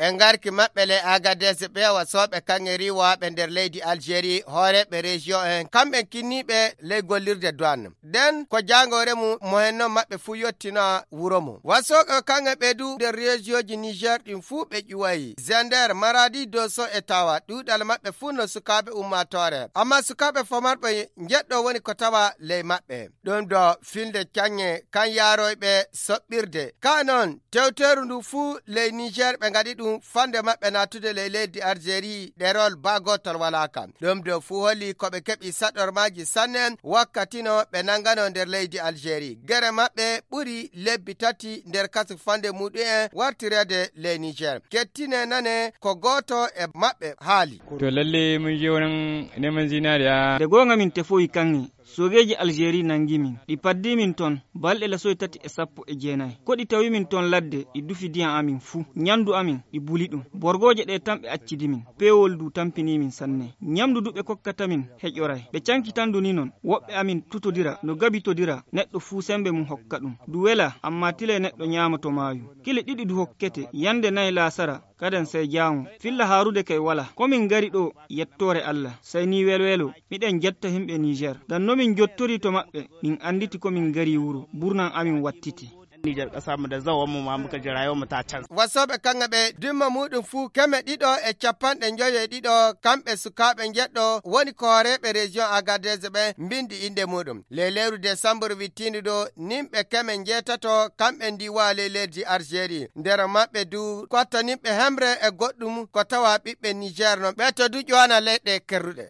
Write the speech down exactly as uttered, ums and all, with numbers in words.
E ngarki maɓɓe ley Agadez ɓe wasooɓe kaŋŋe riiwaaɓe nder leydi Algérie, hooreeɓe région en, kamɓe kinniiɓe ley gollirde douane. Nden ko jaangoore mum mo hen noon maɓɓe fuu yottina wuro mum. Wasooɓe kaŋŋe ɓe du nder région ji Niger ɗin fuu ɓe ƴuwayi. Zender, Maradi, Dosso e Tawa, ɗuuɗal maɓɓe fuu no sukaaɓe ummaatoore. Amma sukaaɓe famarɓe njeɗɗo woni ko tawa ley maɓɓe. Ɗum ɗo filde caŋŋe kan yaaroyɓe soɓɓirde. Ka noon, tewteeru ndu fuu ley Niger ɓe ngaɗi ɗum fande maɓɓe naatude ley leydi Algérie ɗerol baa gootol walaa ka. Ɗum ɗo fuu holli ko ɓe keɓi saɗormaaji sanne wakkati no ɓe nangano nder leydi Algérie. Gere maɓɓe ɓuri lebbi tati nder kasu fande muɗum en wartireede ley Niger. Kettine nane ko gooto e maɓɓe haali. To lalle mun je wannan neman zinariya. Nde goonga min tefoyi kaŋŋe, soogeeji Algérie nangi min. Ɗi paddi min ton, balɗe lasoy tati e sappo e jeenay. Ko ɗi tawi min ton ladde, ɗi dufi diyan amin fuu. Nyandu amin, ɗi buli ɗum. Borgooje ɗe tan ɓe accidi min. Peewol du tampini min sanne. Nyamdu du ɓe kokkata min heƴoray. Ɓe canki tan du ni non. Woɓɓe amin tutodira, no gabitodira, neɗɗo fuu sembe mum hokka ɗum. Du wela, amma tilay neɗɗo nyaama to maayu. Kile ɗiɗi du hokkete, yande nay laasara, kaden sey jaaŋo. Filla haarude kay wala. Ko min ngari ɗo, yettoore Allah. Sey ni welwelo, miɗen jetta himɓe Niger. Ngam no min jottori to maɓɓe, min anditi ko min ngari wuro. Burnan amin wattiti. Nijar ƙasar mu da zawon mu ma muka jira yau mu ta canza. Wasooɓe kaŋŋe ɓe dimma muɗum fuu keme ɗiɗo e capanɗe njoyo e ɗiɗo, kamɓe sukaaɓe njeɗɗo woni ko hooreeɓe région Agadez ɓe mbindi innde muɗum. Ley lewru desambur wittiindu ɗo, nimɓe keme njeetato kamɓe ndiwa ley leydi Algérie. Nder maɓɓe du, kottaninɓe hemre e goɗɗum ko tawa ɓiɓɓe Niger non. Ɓe to du ƴowana leyɗe kerruɗe.